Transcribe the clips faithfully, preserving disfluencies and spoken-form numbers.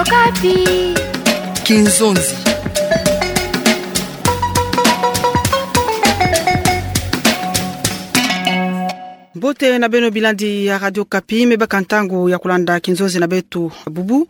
Okapi. Kinzonzi. Mbote na beno bilandi ya Radio Okapi, me baka ntangu ya kulanda kinzonzi na beto bubu.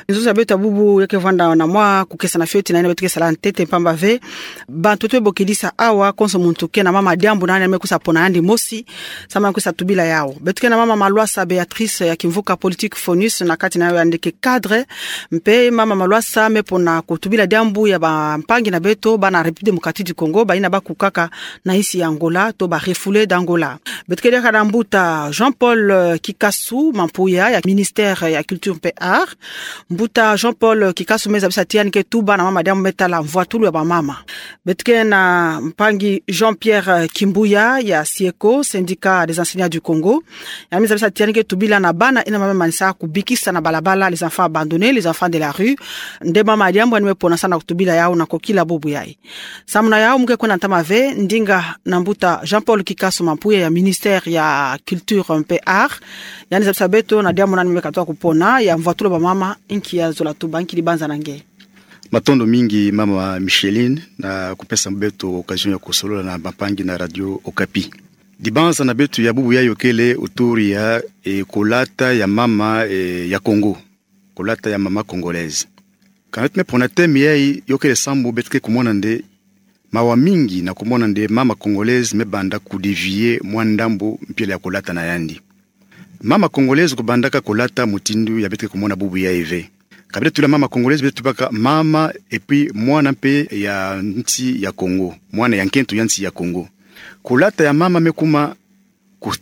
Kinzonzi na beto bubu yeke vwanda na mwa kukesana fioti na yina beto ke sala ntete, mpamba ve bantu beto bokidisa awa, konso muntu ke na mama diambu na yandi me kwiza pona yandi mosi, samu na kwiza tubila yawu. Beto ke na mama Malwasa Béatrice ya Kimvuka Politique Fonus, na kati na yawu yandi ke cadre, mpe mama Malwasa me pona kutubila diambu ya bampangi na beto bana République Démocratique du Congo, bayina bakukaka na insi ya Angola, to ba refoulés d'Angola. Beto ke diaka na mbuta Jean-Paul, eh, Kikasu Mampuya ya ministère ya culture mpe art. Mbuta Jean-Paul Kikasu me zabisa ti yandi ke tuba na mama diambu me tala mvwatulu ya bamama. Beto ke na mpangi Jean-Pierre Kimbuya ya SYECO, Syndicat des enseignants du Congo. Yandi me zabisa ti yandi ke tubila na bana yina mama me manisa kubikisa na balabala, les enfants abandonnés, les enfants de la rue. Nde mama diambu yandi me pona samu na kutubila yawu na kokila bubu yayi. Samu na yawu mu ke kwenda ntama ve ndinga na mbuta Jean-Paul Kikasu Mampuya ya ministère ya culture mpe art. Yandi zabisa beto na diambu nani me katuka kupona ya mvwatulu ya bamama, nki ya zola tuba, nki dibanza na nge. Matondo mingi mama Micheline na kupesa beto occasion ya kusolola na bampangi na Radio Okapi. Dibanza na beto ya bubu yayi yokele autour ya, eh, kolata ya mama, eh, ya Congo. Kolata ya mama congolaise. Kana beto me pona thème yayi, yokele sambu beto ke kumona nde mawa mingi na kumona nde mama congolaise me banda kudévier mwa ndambu mpila ya kolata na yandi. Mama congolaise kubandaka kolata mutindu ya beto ke kumona bubu yayi ve. Ka beto tubila mama congolaise, beto tubaka mama et puis mwana mpe ya nsi ya Congo, mwana ya nkento ya nsi ya Congo. Kolata ya mama me kuma kusonga